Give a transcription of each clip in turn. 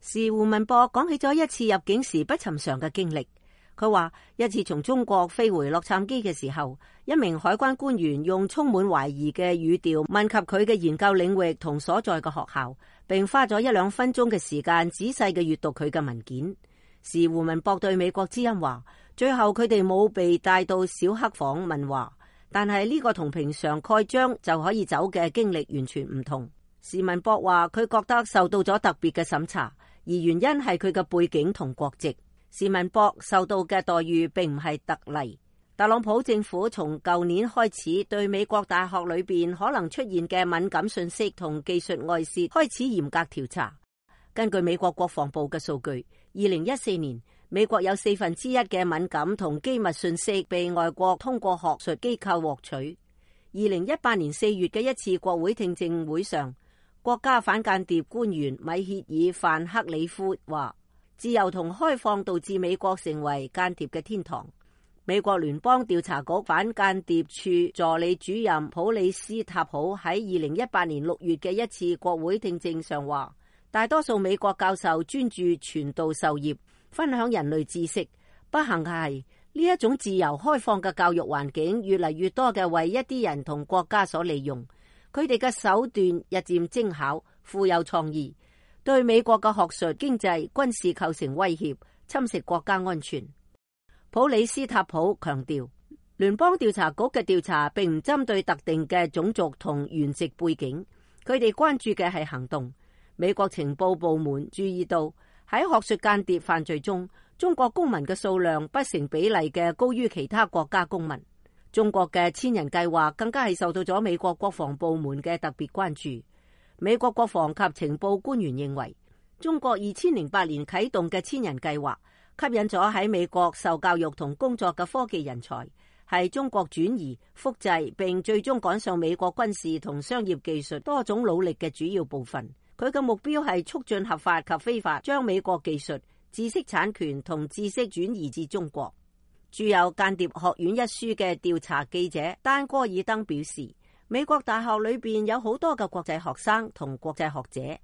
時胡文博講起咗一次入境時不尋常嘅經歷。佢話一次從中國飛回洛杉磯嘅時候，一名海關官員用充滿懷疑嘅語調問及佢嘅研究領域同所在嘅學校，並花咗1-2分鐘嘅時間仔細嘅閱讀佢嘅文件。時胡文博對美國之音話，最後佢哋冇被帶到小黑房問話，但係呢個同平常蓋章就可以走嘅經歷完全唔同。時文博話佢覺得受到咗特別嘅審查，而原因係佢嘅背景同國籍。時文博受到嘅待遇並唔係特例。特朗普政府從舊年開始對美國大學裏邊可能出現嘅敏感信息同技術外泄開始嚴格調查。根據美國國防部嘅數據，2014年美國有1/4嘅敏感同機密信息被外國通過學術機構獲取。2018年4月嘅一次國會聽證會上，國家反間諜官員米歇爾·范克里夫話，自由同開放導致美國成為間諜嘅天堂。美國聯邦調查局反間諜處助理主任普里斯塔普喺2018年6月嘅一次國會聽證上話，大多數美國教授專注傳道授業，分享人類知識。不幸嘅係，呢一種自由開放嘅教育環境越嚟越多嘅為一啲人同國家所利用，佢哋嘅手段日漸精巧、富有創意，對美國嘅學術、經濟、軍事構成威脅，侵蝕國家安全。普里斯塔普強調，聯邦調查局嘅調查並唔針對特定嘅種族同原籍背景，佢哋關注嘅係行動。美國情報部門注意到喺學術間諜犯罪中，中國公民嘅數量不成比例嘅高於其他國家公民。中國嘅千人計劃更加係受到咗美國國防部門嘅特別關注。美國國防及情報官員認為，中國2008年啟動嘅千人計劃吸引咗喺美國受教育同工作嘅科技人才，係中國轉移、複製並最終趕上美國軍事同商業技術多種努力嘅主要部分。佢嘅目標係促進合法及非法將美國技術、知識產權同知識轉移至中國。著有《間諜學院》一書嘅調查記者丹戈爾登表示，美國大學裏邊有好多嘅國際學生同國際學者，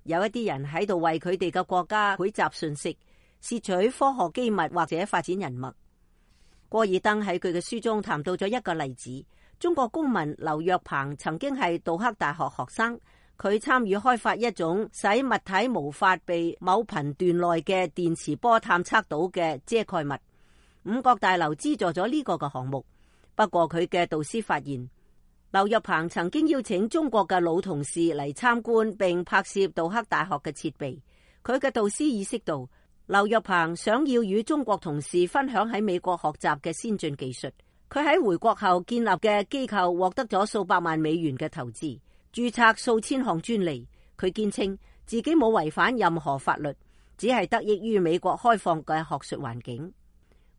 有一啲人喺度為佢哋嘅國家匯集信息，竊取科學機密或者發展人脈。戈爾登喺佢嘅書中談到咗一個例子，中國公民劉若鵬曾經係杜克大學學生，佢參與開發一種使物體無法被某頻段內嘅電磁波探測到嘅遮蓋物。五角大樓資助咗呢個嘅項目，不過佢嘅導師發現，劉若鵬曾經邀請中國嘅老同事嚟參觀並拍攝杜克大學嘅設備。佢嘅導師意識到，劉若鵬想要與中國同事分享喺美國學習嘅先進技術。佢喺回國後建立嘅機構獲得咗數百萬美元嘅投資，註冊數千項專利。佢堅稱自己冇違反任何法律，只係得益於美國開放嘅學術環境。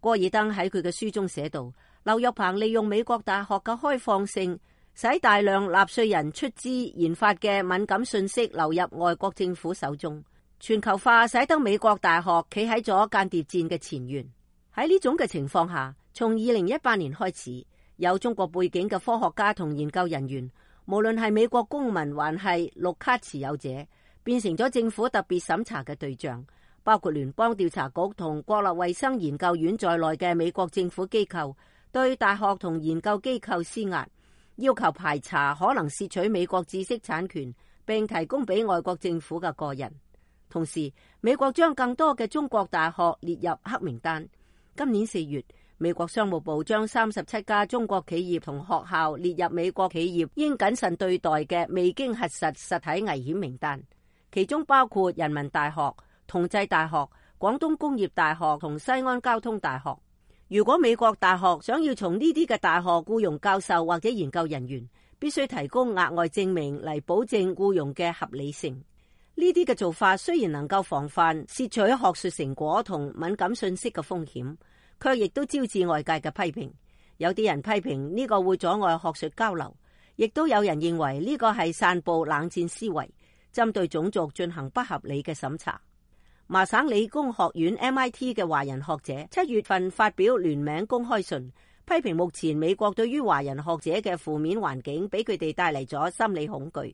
戈爾登喺佢嘅書中寫道，劉若鵬利用美國大學嘅開放性，使大量納稅人出資研發嘅敏感信息流入外國政府手中。全球化使得美國大學企喺咗間諜戰嘅前沿。喺呢種嘅情況下，從2018年開始，有中國背景嘅科學家同研究人員，無論係美國公民還係綠卡持有者，變成咗政府特別審查嘅對象，包括聯邦調查局同國立衛生研究院在內嘅美國政府機構，對大學同研究機構施壓，要求排查可能竊取美國知識產權並提供俾外國政府嘅個人。同時，美國將更多嘅中國大學列入黑名單。今年4月，美國商務部將37家中國企業同學校列入美國企業應謹慎對待嘅未經核實實體危險名單，其中包括人民大學、同濟大學、廣東工業大學同西安交通大學。如果美國大學想要從呢啲嘅大學僱傭教授或者研究人員，必須提供額外證明嚟保證僱傭嘅合理性。呢啲嘅做法雖然能夠防範竊取學術成果同敏感信息嘅風險，卻亦都招致外界嘅批評。有啲人批評呢個會阻礙學術交流，亦都有人認為呢個係散布冷戰思維，針對種族進行不合理嘅審查。麻省理工學院 MIT 嘅華人學者7月份發表聯名公開信，批評目前美國對於華人學者嘅負面環境俾佢哋帶嚟咗心理恐懼。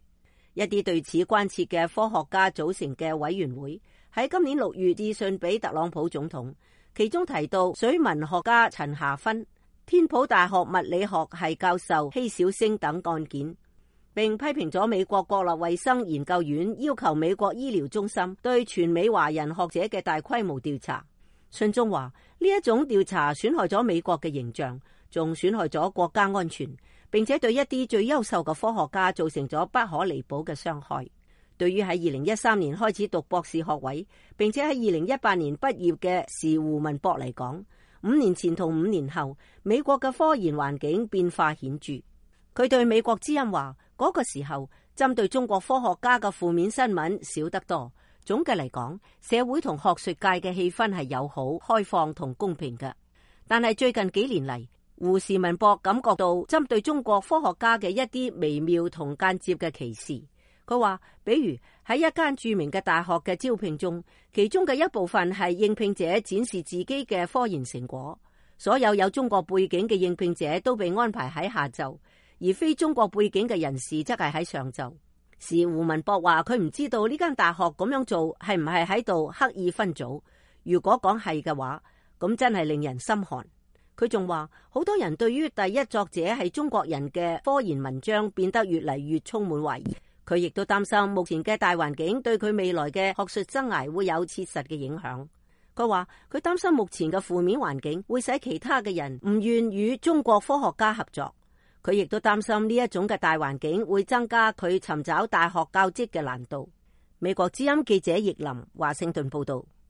一啲對此關切嘅科學家組成嘅委員會喺今年6月致信俾特朗普總統，其中提到水文學家陳夏芬、天普大學物理學系教授希小星等案件，並批評咗美國國立衛生研究院要求美國醫療中心對全美華人學者嘅大規模調查。信中話呢一種調查損害咗美國嘅形象，仲損害咗國家安全，並且對一啲最優秀嘅科學家造成咗不可彌補嘅傷害。對於喺2013年開始讀博士學位，並且喺2018年畢業嘅時胡文博嚟講，5年前同5年後，美國嘅科研環境變化顯著。佢對美國之音話，嗰個時候針對中國科學家嘅負面新聞少得多。總嘅嚟講，社會同學術界嘅氣氛係友好、開放同公平嘅。但係最近幾年嚟，胡時文博感覺到針對中國科學家嘅一啲微妙同間接嘅歧視。佢話，比如喺一間著名嘅大學嘅招聘中，其中嘅一部分係應聘者展示自己嘅科研成果，所有中國背景嘅應聘者都被安排喺下晝，而非中國背景嘅人士則係喺上晝。時胡文博話佢唔知道呢間大學咁樣做係唔係喺度刻意分組，如果講係嘅話，咁真係令人心寒。佢仲話好多人對於第一作者係中國人嘅科研文章變得越嚟越充滿懷疑。佢亦都擔心目前嘅大環境對佢未來嘅學術生涯會有切實嘅影響。佢話佢擔心目前嘅負面環境會使其他嘅人唔願與中國科學家合作。佢亦都擔心呢一種嘅大環境會增加佢尋找大學教職嘅難度。美國之音記者葉林華盛頓報道。